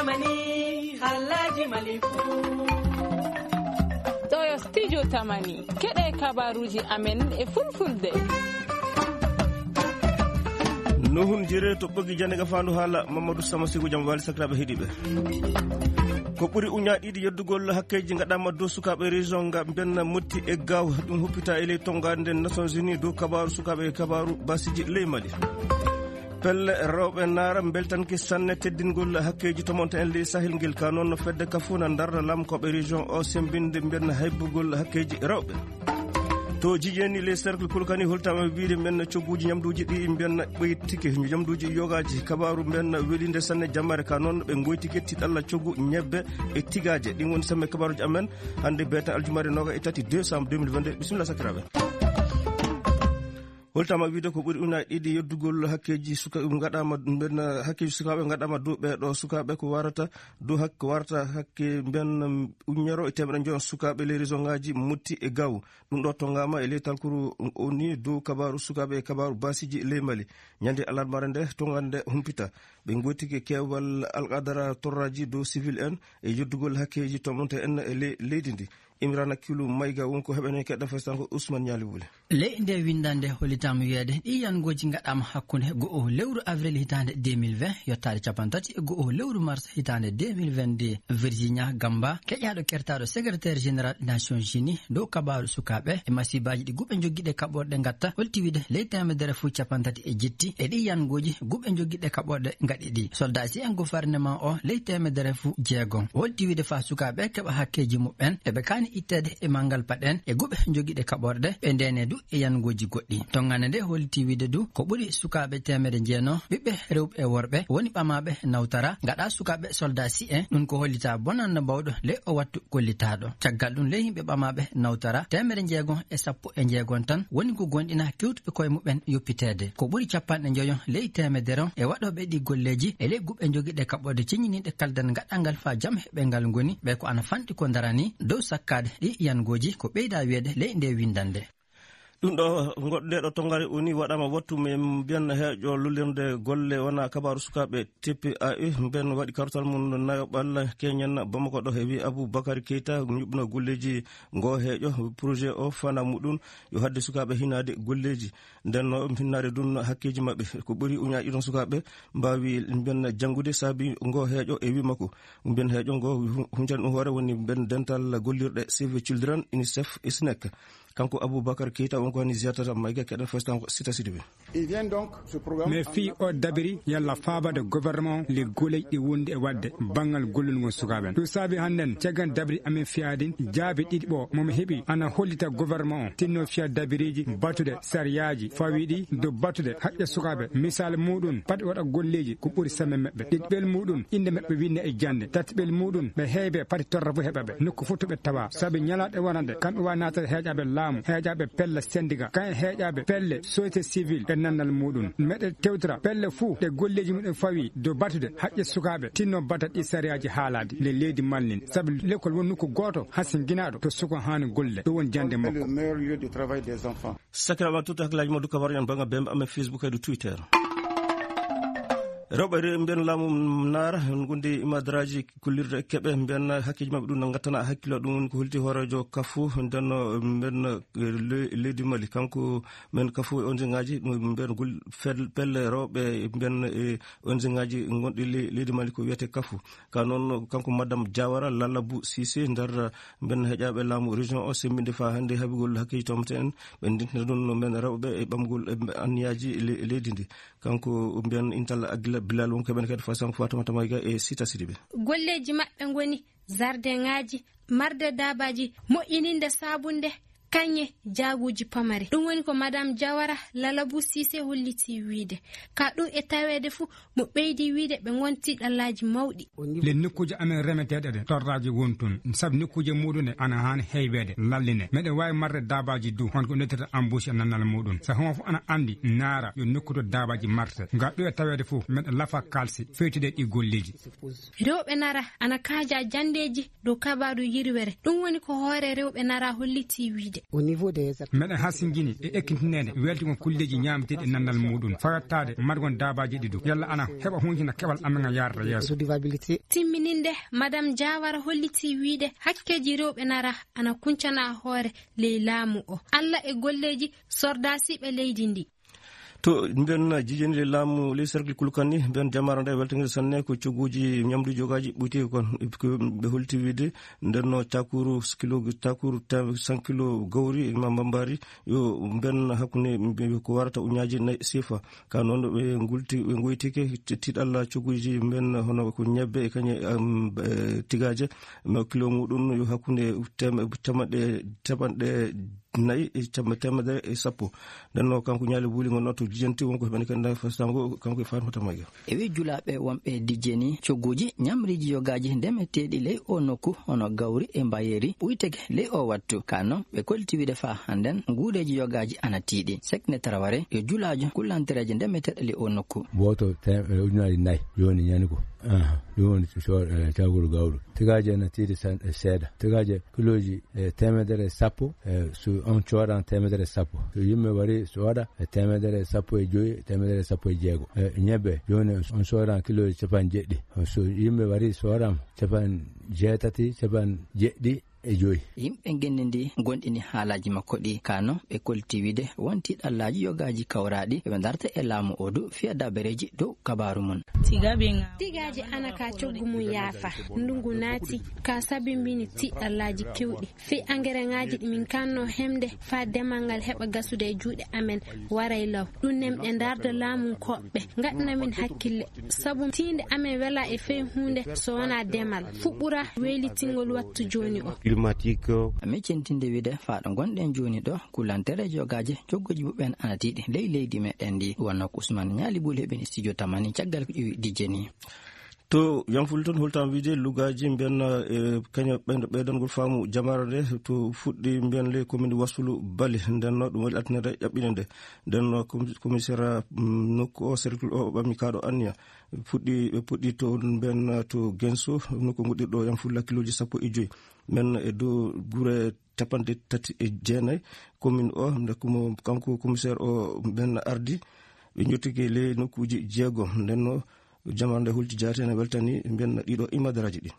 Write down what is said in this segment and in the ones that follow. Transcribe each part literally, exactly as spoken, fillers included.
Tamani, halaji malifu. Ɗo yo studio Tamani. Keɗe kabaruji amen e fulfulde. Nuhun jire to ɓogi jande ga fandu hala Mamadou Sama Sigo jam wali sakiraɓe heɗiɓe. Ko ɓuri uña ɗiɗi yeddugol hakkeji gaɗama dow sukaɓe région nga benna motti e gaw ɗum huppita e ley tongande Nations Unies dow kabaru sukaɓe e kabaru basiji ley Mali. Pelle rewɓe naara beltanke sanne teddingol hakkeji tomonta en ley Sahel ngel ka noon no fedde kafuna darna lamkoɓe région o sembinde mbenna haybugol hakkeji rewɓe. To jijeeni les cercle kulkani holtama wiide men cogguji ñamduji ɗi mbenna ɓoytike ñamduji yogaji kabaru mbenna welinde sanne jammare ka noon ɓe goytike tiɗalla coggu ñebbe e tigaje ɗin woni samme kabaruji amen hannde beeta aljumare noga e tati décembre deux mille vingt-deux. Bisimilla sakiraɓe. Holtama wiide ko ɓuri una ɗiɗi yeddugol hakkeji suka gaɗama mbenna hakkeji sukaɓe gaɗama dow ɓeɗo sukaɓe ko warata dow hak ko warata hakke mbenna uññero e temeɗe njoyo sukaɓe les région ngaji motti e gaw. Ɗum ɗo tongama e ley talkuru o ni dow kabaru sukaɓe e kabaru basiji ley Mali. Ñande alarmare nde tongande humpita ɓe gontike kewal alqadara torraji dow civil en e yeddugol hakkeji tomonte en e ley leydi ndi. Imrana Kilu Mayga won ko heɓene keɗɗa festanko Ousmane Ñali Wule. Ley nde windande hollitama wiyeede ɗi yangoji gaɗama hakkunde go'o lewru avril hitande deux mille vingt yottaade capantati e go'o lewru mars hitande deux mille vingt-deux. Virginia Gamba keƴaɗo kertaɗo secrétaire général des Nations Unies dow kabaru sukaɓe e masibaji ɗi guɓe joggiɗe kaɓorɗe gatta holti wiide ley temedere fu capantati e jetti e ɗi yangoji guɓe joggiɗe kaɓorɗe gaɗi ɗi soldasi en gouvernement o ley temedere fu jeego holti wiide fa sukaɓe keɓa hakkeji muɓɓen eɓe kani ittede e mangal paɗen e guɓe jogiɗe kaɓorɗe ɓe ndene du e yangoji goɗɗi. Tongande nde holti wiide du ko ɓuri sukaɓe temedde jeeno ɓiɓɓe rewɓe e worɓe woni ɓamaɓe nawtara gaɗa sukaɓe soldasi en ɗum ko hollita bonande mbawɗo ley o wattu gollitaɗo. Caggal ɗum ley yimɓe ɓamaɓe nawtara temedde jeego e sappo e jeegon tan woni ko gonɗina kewtuɓe koye muɓɓen yoppitede ko ɓuri capanɗe njoyo ley temedere e waɗoɓe ɗi golleji e ley guɓe jogiɗe kaɓɓorde ciññiniɗe kaldan gaɗangal fa jam heɓe ngal ngoni ɓe ko ana fanɗi ko darani dow sakkade ɗi yangoji ko ɓeyda wiyede ley nde windande. Ɗum ɗo goɗɗo nde ɗo tongare oni waɗama wattu men mbiyan heeƴo lullirde golle wona kabaru sukaɓe T P A E mben waɗi kartal mum nayo ɓalla keñen bamako ɗo heewi Abou Bakar Keita ñuɓno golleji ngo heeƴo projet o fana muɗum yo hadde sukaɓe hinade golleji. Nden no hinnare ɗum hakkeeji maɓɓe ko ɓuri uñaaɗi ɗon sukaaɓe mbaawi mbiyen janngude saabi ngo heeƴo e wii makko mbiyen heeƴo ngo huncani ɗum hoore woni mbiyen dental gollirɗe Save Children, UNICEF e SNEC. Kanko Aboubacar Keita won ko hani ziyartata mayga keɗen festan ko sita sidi ɓe. Mais fii o dabiri yalla faabade gouvernement le guleeji ɗi wondi e waɗde banngal gollol ngol sukaaɓe en. Ɗum saabi hannden caggal dabiri amen fiyaadin jaabi ɗiɗi ɓo momi heɓi ana hollita gouvernement o tinno fiya dabiriji batude sariyaaji fawiɗi dow batude haqqe sukaaɓe. Misal muɗum pati waɗa golleeji ko ɓuri semme maɓɓe. Ɗiɗɓel muɗum innde maɓɓe winne e jannde. Tatiɓel muɗum ɓe heebe pati torra fo heɓa ɓe nokku fof to ɓe tawa. Sabi ñalaaɗe wonande kamɓe wa naatata heeƴaaɓe laamu, heeƴaaɓe pelle sendiga, kayen heeƴaaɓe pelle société civile e nannal muɗum. Meɗe tewtira pelle fuu ɗe golleeji muɗum fawi dow batude haqqe sukaaɓe tinno bata ɗi sariyaaji haalaade le leydi mallin. Sabi lekkol won nokku gooto hasinginaaɗo to suko haani golle. Ɗum won jannde makko. Sakiraɓe, tuuti hakkillaaji mon, dukka baro en bannga bembe amen Facebook kadi Twitter. Rewɓe re-, mbiyen laamu naara, en gondi imadraji kullirde keɓe, mbiyen hakkeji maɓɓe ɗum no ngattana hakkilo, ɗum woni ko holti hoorejo Kafu, nden no mbiyen, eh, le-, leydi Mali. Kanko men Kafu e O N G ngaji, ɗum mbiyen gol-, fel-, pelle rewɓe mbiyen, eh, O N G ngaji gonɗi le-, leydi Mali ko wiyete Kafu. Ka noon, kanko Madame Diawara Lallabou Cissé, nder mbiyen heƴaaɓe laamu région o, semmbinde faa hannde haɓugol hakkeeji toomte en, ɓe ndintina ɗum no mbiyen rewɓe e ɓamgol e anniyaaji le-, leydi ndi. Kanko mbiyen Intal Agila Bilal won ko ɓen kadi Fasanko Fatumata Mayga e Sita Sidibe. Golleeji maɓɓe ngoni zardeŋaaji, marde daabaaji, moƴƴininde saabunde, kañe jaaguuji pamari. Ɗum woni ko Madame Diawara Lallabou Cissé holliti wiyde. Ka ɗum e taweede fuu, mo ɓeydi wiyde ɓe ngonti ɗallaaji mawɗi. Les nokkuuje amen remeteeɗe ɗe, torraaji won toon. Sabu nokkuuje muɗum ɗe ana haani heybeede, lalline. Meɗen waawi marde daabaaji du, hono ko noddirta embauche e nannal muɗum. So homo fof ana anndi, naara yo nokku to daabaaji marte. Ngam ɗum e taweede fof, meɗen lafa kaalsi, fewtide ɗi golleeji. Rewɓe nara ana kaaja janndeeji dow kabaaru yirwere. Ɗum woni ko hoore rewɓe nara holliti wiyde. Au niveau des meɗen hasingini e ekkintineede weltigol kulleeji ñaamteeɗi e nandal muɗum, fawattaade margol daabaaji ɗi dow. Yalla ana heɓa huncina keɓal amen ngal yaarata yeeso. Timmininde, Madame Diawara hollitii wiyde hakkeeji rewɓe nara ana kuncana hoore ley laamu o. Alla e golleeji sordaasiiɓe leydi ndi. To mbiyen jijani laamu ley cercle Kulkani, mbiyen jamaare nde weltaniiɗo sanne ko cogguuji ñamduuji yogaaji ɓoytii kon. Ko ɓe holti wiyde nden no cakuru kilo, cakuru tem-, cent kilo gawri e ma mbambaari, yo mbiyen hakkunde mbi-, ko warata uñaaji nayi sefa. Ka noon ɓe ngulti, ɓe ngoytike ti-, tiiɗalla cogguuji mbiyen hono ko ñebbe e kañe, am, e tigaaje, ma kilo muɗum yo hakkunde tem-, teemeɗɗe, teemeɗɗe nayi e cam-, teemedere e sappo. Nden noon, kanko Ñaali Buuli ngon noon to Jijenti, wonko heɓani kadi nder fastango, kanko e Fatimata Mayga. E wi julaaɓe wonɓe Dijeni, cogguuji ñamriiji yogaaji ndemeteeɗi ley o nokku, hono gawri e mbayeeri, ɓuyteke ley o wattu. Ka noon, ɓe kolti wiide faa hannden, nguureeji yogaaji ana tiiɗi. Sekne Taraware, yo julaajo kullantereeje ndemeteeɗe ley o nokku. Wooto te-, e ujunnaaji nayi, jooni ñani ko. Aha, ɗum woni so-, so-, e, caguru gawri. Tigaaje ene tiiɗi san-, e seeɗa. Tigaaje kilooji e teemedere e sappo, e, so on coodan teemedere e sappo. So yimɓe wari so waɗa e teemedere e sappo e joyi, teemedere e sappo e jeego. E, ñebbe, jooni on coodan kilooji capanɗe jeɗɗi. So yimɓe wari so waɗam capanɗe jeetati, capanɗe jeɗɗi e joyi. Yimɓe ngenndi ndi ngonɗini haalaaji makko ɗi. Ka noon ɓe kolti wiide won tiiɗallaaji yogaaji kawraaɗi ɓe ndarta e laamu o du fiya dabareeji dow kabaaru mum. Tigaaje ana ka coggu mum yaafa. Ndungu naati ka sabimbini tiiɗallaaji kewɗi. Fii angereŋaaji ɗi min kanno hemde faa demal ngal heɓa gasude e juuɗe amen waray law. Ɗum nemɗe ndarda laamunkooɓe. Ngaɗana min hakkille. Sabu tiinde amen welaa e fey huunde so wonaa demal. Fuu ɓura weylitingol wattu jooni o. Climatique. Amin centinde wiide faa ɗo ngonɗen jooni ɗo, kulantere jogaaje, cogguuji muɓɓen ana tiiɗi ley leydi meɗen ndi. Wonno ko Usman Ñaali Bul heɓini studio Tamani caggal ko ƴeewi Dijeni. To Yanful toon, holtam wiide lugaaji mbiyen, e, kañum ɓeydo-, ɓeydangol faamu jamaare nde to fuɗɗi mbiyen ley commune Wasulu Bali. Nden no ɗum waɗi altine nde ƴaɓɓine nde. Nden no com-, commissaire, mm, nokku o, cercle o, ɓami kaɗo anniya. Fuɗɗi, ɓe puɗɗi to mbiyen to Genso, nokku nguɗirɗo Yanful kilooji sappo e joyi. Men e dow gure capanɗe tati e jeenayi commune o, nde komo-, kanko commissaire o mbiyen ardi. Ɓe njottike ley nokkuuji jeego. Nden no jamaare nde hulti jaati ene weltani mbiyen ɗiɗo imadaraaji ɗi.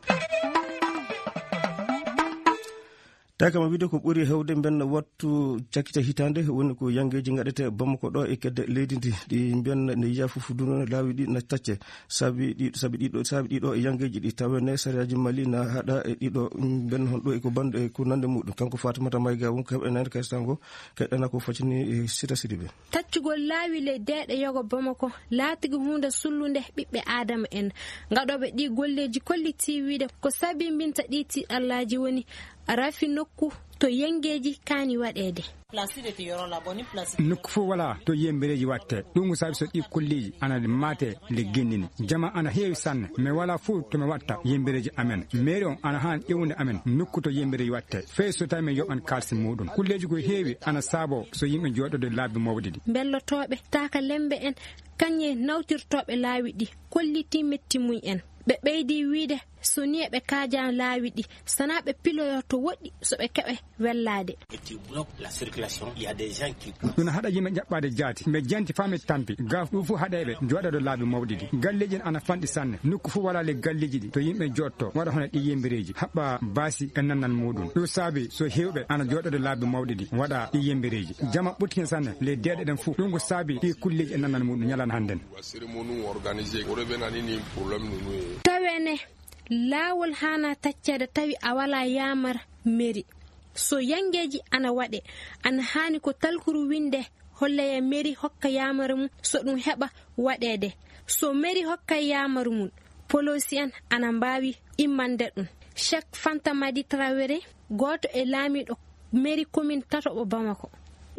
Tawi kam wiide ko ɓuri heewde mbiyen wattu cakkite hitaande woni ko yanngeeji ngaɗete Bamako ɗo e kedde leydi ndi. Ɗi mbiyen ne yiya fof duno laawi ɗi na tacce. Sabi ɗi, sabi ɗiɗo, sabi ɗiɗo e yanngeeji ɗi tawa ne sariyaaji Mali na haɗa e ɗiɗo mbiyen hon ɗo e ko bande e ko nande muɗum. Kanko Fatimata Mayga won ko heɓe nande kay sango, kay ɗana ko facini, e, Sita Sidibe. Taccugol laawi ley deeɗe yogo Bamako laatigi huunde sullunde ɓiɓɓe Aadama en. Gaɗooɓe ɗii golleeji kollitii wiide ko sabimbinta ɗii tiiɗallaaji woni rafi nokku to yenngeeji kaani waɗeede. Nokku fof walaa to yembereeji waɗtee. Ɗum ko sabi so ɗii kolleeji ana maate nde genndini. Jama ana heewi sanne, mais walaa fof to mi waɗta yembereeji amen. Mairie on ana haani ƴeewude amen nokku to yembereeji waɗtee. Fay so tawi min yoɓan kaalisi muɗum. Kulleeji ko heewi ana saaboo so yimɓe jooɗoode laabi mawɗi ɗi. Mbellotooɓe, taaka lemmbe en, kañe nawtirtooɓe laawi ɗi, kollitii metti mum en. Ɓe ɓeydi wiide, so nii eɓe kaaja laawi ɗi, sanaa ɓe piloyo to woɗɗi, so ɓe keɓa wellaade. Et tu bloques la circulation, il y a des gens qui... Ɗum haɗa yimɓe jaɓɓaade jaati. Mbe janti faa mi tampi. Gaaf ɗum fof haɗa ɓe jooɗoode laabi mawɗi ɗi. Galleeji ɗi ana fanɗi sanne. Nokku fof walaa le galleeji ɗi to yimɓe jooɗto. Waɗa hono ɗi yembereeji. Haɓɓa baasi e nannal muɗum. Ɗum saabi so heewɓe ana jooɗoode laabi mawɗi ɗi. Waɗa ɗi yembereeji. Jama ɓurti heen sanne. Le deeɗe ɗen fof. Ɗum ko saabi ɗi kulleeji e nannal muɗum ñalana hannden. Tawene laawol haana tacceede tawi a walaa yaamar meri. So yanngeeji ana waɗe, ana haani ko talkuru winnde holleya meri hokka yaamar mum so ɗum heɓa waɗeede. So meri hokka yaamar mum, poloosi en ana mbaawi immande ɗum. Cheikh Fanta Madi Traoré, gooto e laamiiɗo meri commune tataɓo Bamako.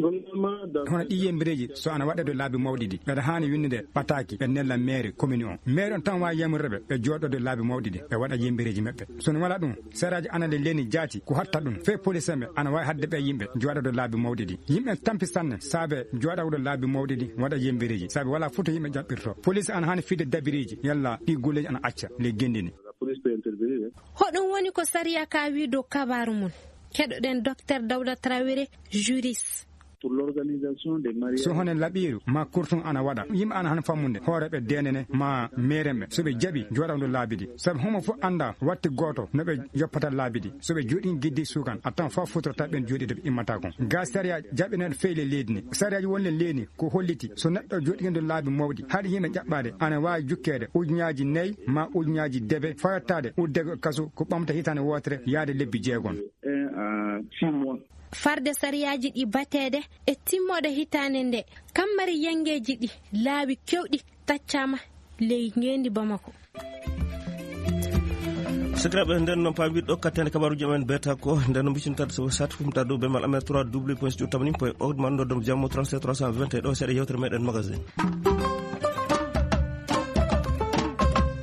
Hono ɗi yembereeji, so ana waɗa to laabi mawɗi ɗi, ɓeɗa haani winndude ɓataaki, ɓe nella mairie commune on. Mairie on tan waawi yamrude ɓe, ɓe jooɗoode laabi mawɗi ɗi, ɓe waɗa yembereeji maɓɓe. So no wala ɗum, seraaji ana le leni jaati, ko hatta ɗum. Fee police en ɓe, ana waawi haɗde ɓe yimɓe jooɗoode laabi mawɗi ɗi. Yimɓe tampi sanne, saabe jooɗoode laabi mawɗi ɗi, waɗa yembereeji. Saabe wala fof to yimɓe jaɓɓirto. Police ana haani fiide dabireeji, yalla ɗi golleeji ana acca, le genndini. Hoɗum woni ko sariya ka wi dow kabaaru mum? Keɗoɗen Docteur Dawda Traoré, juriste. So honen laɓiiru ma kurtun ana waɗa, yimɓe ana han fammude, hooreɓe deenene ma meerenɓe, so ɓe jaɓi jooɗawdu laabi ɗi. Sabu homo fof annda watti gooto no ɓe yoppata laabi ɗi. So ɓe jooɗi giddi sukan, a tan fof futorta ɓen jooɗi to ɓe immata kon. Ga sariya jaɓineen feyle leydi ni. Sariyaaji wonle leydi ko holliti, so neɗɗo jooɗiindo laabi mawɗi, haɗi yimɓe ƴaɓɓaade, ana waawi jukkeede ujunnaaji nayi ma ujunnaaji debe, fayottaade uddego kasu ko ɓamta hitaande wootere yaade lebbi jeegon. Farde sariyaaji ɗi bateede e timmooɗe hitaande nde, kammari yanngeeji ɗi laawi kewɗi taccaama ley ngeendi Bamako. Sakiraaɓe, nden noon paamirɗo kattande kabaruuji amen beeta ko nden no mbicinta so sat fumta dow bemal amen trois w point studio tamani point org man ɗo dow jammo trente-sept trois cent vingt et un ɗo seeɗa yewtere meɗen magasin.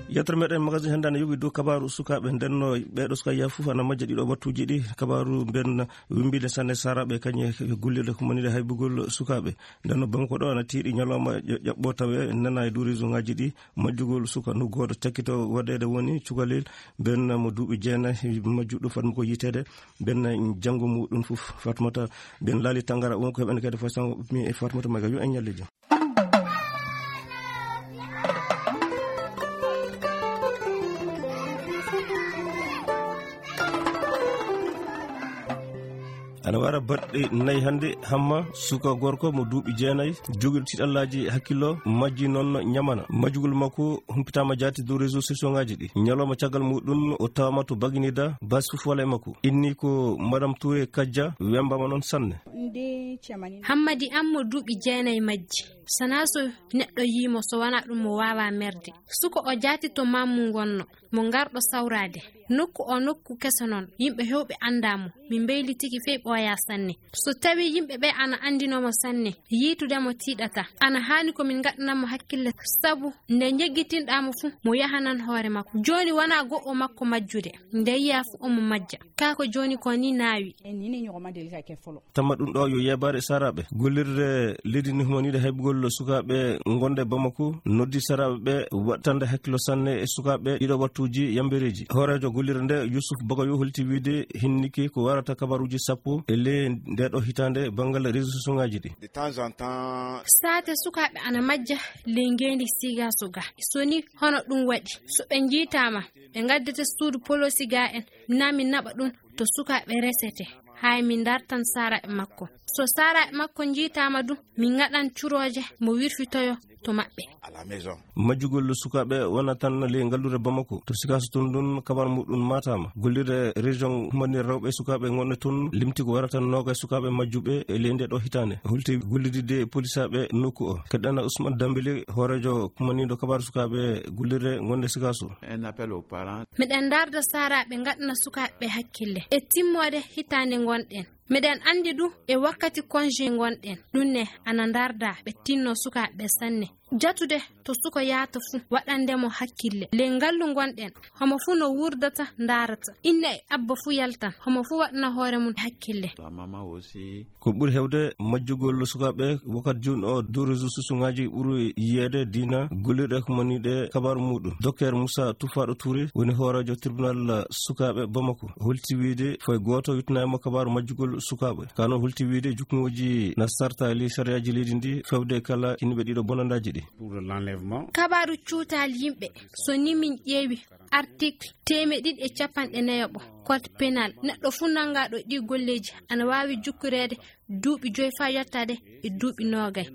Yewtere meɗen magasin hannde ana yowi dow kabaaru sukaaɓe. Nden no ɓeeɗo sukaaɓe fof ana majja ɗiɗo wattuuji ɗi. Kabaaru mben wimbiɗe sanne saraaɓe kañe gollirde ko manide haybugol sukaaɓe. Nden no Bamako ɗo ana tiiɗi ñalawma ƴo-, ƴaɓɓo tawe nana e dow réseau ngaji ɗi majjugol suka no gooto cakkito waɗeede woni cukalel mben mo duuɓi jeenayi majjuɗo fatma ko yiteede mben janngo muɗum fof Fatmata mben laali tangara on ko heɓen kadi façon mi e Fatmata maga yo en ñalle jam. Ana wara baɗɗe nayi hannde, Hamma, suka gorko mo duuɓi jeenayi, jogiiɗo tiiɗallaaji hakkillo, majji noon ñamana. Majjugol makko humpitaama jaati dow réseau sociaux ngaaji ɗi. Ñalawma caggal muɗum, o tawama to Baginida, bas fof wala e makko. Inni ko Madame Touré Kajja, wembaama noon sanne. Hammadi am mo duuɓi jeenayi majji. Sanaa so neɗɗo yii mo, so wanaa ɗum, mo waawaa merde. Suka o jaati to maamu ngonno. Mo ngarɗo sawraade. Nokku o nokku keso noon, yimɓe heewɓe anndaa mo. Min mbeylitiki fey ɓooyaa sanne. So tawii yimɓe ɓee ana anndinoo mo sanne, yiitude mo tiiɗataa. Ana haani ko min ngaɗana mo hakkille, sabu nde njeggitinɗaa mo fuu, mo yahanan hoore makko. Jooni wanaa go'o makko majjude. Nde yiyaa fuu omo majja. Kaa ko jooni ko nii naawi. Tama ɗum ɗo yo yeebaare saraaɓe. Gollirde leydi ndi humaniiɗe haybugol sukaaɓe ngonde Bamako noddi saraaɓe ɓe waɗtande hakkillo sanne e sukaaɓe ɗiɗo wattuuji yambereeji. Hooreejo gollirde nde Yusuf Bagayo holti wiide hinniki ko warata kabaruuji sappo e ley nde ɗo hitaande banngal réseau sociaux ngaaji ɗi. Saate sukaaɓe ana majja ley ngeendi Sigaso ga. So ni hono ɗum waɗi, so ɓe njiitaama, ɓe ngaddete suudu poloosi ga en, naa min naɓa ɗum to sukaaɓe resete, hay min ndartan saraaɓe makko. So saraaɓe makko njiitaama du, min ngaɗan curooje mo wirfitoyo to maɓɓe. Majjugol sukaaɓe wona tan ley ngalluure Bamako. To Sikaso toon ɗum kabar muɗum maataama. Gollirde région humanir rewɓe sukaaɓe ngonɗe toon limti ko warata noogaye sukaaɓe majjuɓe e ley nde ɗo hitaande. Holti gollidde e polisaaɓe nokku o. Keɗɗana Ousmane Dambélé, hooreejo kumaniiɗo kabar sukaaɓe gollirde ngonde Sikaso. Un appel aux parents. Miɗen ndarda saraaɓe ngaɗana sukaaɓe ɓe hakkille. E timmoode hitaande ngonɗen. Miɗen anndi du e wakkati congé ngonɗen. Ɗum ne ana ndarda ɓe tinno sukaaɓe ɓe sanne. Jatude to suka yaata fuu waɗande mo hakkille. Ley ngallu ngonɗen, homo fuu no wurdata ndaarata. Inna e abba fuu yaltan, homo fuu waɗana hoore mum hakkille. Ko ɓuri heewde majjugol sukaaɓe wakkati jooni o dow réseau sociaux ngaaji ɓuri yiyeede diina gollirɗe ko maniiɗe kabaaru muɗum. Docteur Moussa Tufaaɗo Touré woni hooreejo tribunal sukaaɓe Bamako. Holti wiide foy gooto yuttanaama kabaaru majjugol sukaaɓe. Ka noon holti wiide jukngooji na sartaali sariyaaji leydi ndi fewde kala yimɓe ɗiɗo bonandaaji ɗi. Kabaaru cuutaali yimɓe, so ni min ƴeewi article teemeɗe ɗiɗi e capanɗe nayaɓo code pénal, neɗɗo fuu nanngaaɗo ɗi golleeji ana waawi jukkoreede duuɓi joyi faa yottaade e duuɓi noogay.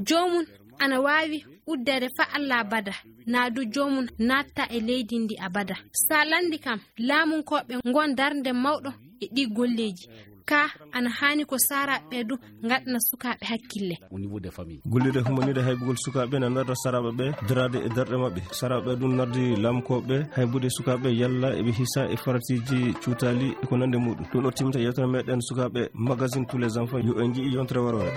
Joomum ana waawi uddeede faa Alla abada, naa du joomum naatta e leydi ndi abada. So a lanndi kam, laamunkooɓe ngon darnde mawɗo e ɗi golleeji. Ka ana haani ko saraaɓe ɓe du ngaɗana sukaaɓe hakkille. Gollirde humaniiɗe haybugol sukaaɓe na ndarda saraaɓe ɓe daraade e darɗe maɓɓe. Saraaɓe ɓe ɗum nardi laamkooɓe haybude sukaaɓe yalla eɓe hisa e faratiiji cuutaali e ko nande muɗum. Ɗum ɗo timta yewtere meɗen sukaaɓe magazine tous les enfants. Yo en nji'i yontere waroore.